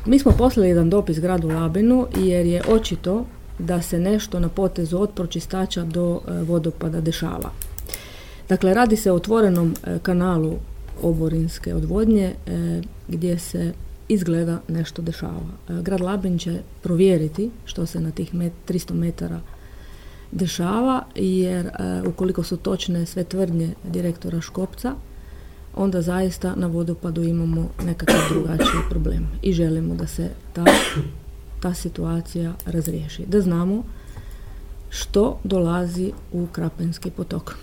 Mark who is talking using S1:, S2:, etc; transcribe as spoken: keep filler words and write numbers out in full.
S1: Mi smo poslali jedan dopis gradu Labinu jer je očito da se nešto na potezu od pročistača do e, vodopada dešava. Dakle, radi se o otvorenom e, kanalu oborinske odvodnje e, gdje se izgleda nešto dešava. E, grad Labin će provjeriti što se na tih met, tristo metara dešava, jer e, ukoliko su točne sve tvrdnje direktora Škopca, onda zaista na vodopadu imamo nekakav drugačiji problem i želimo da se ta, ta situacija razriješi. Da znamo što dolazi u Krapenski potok.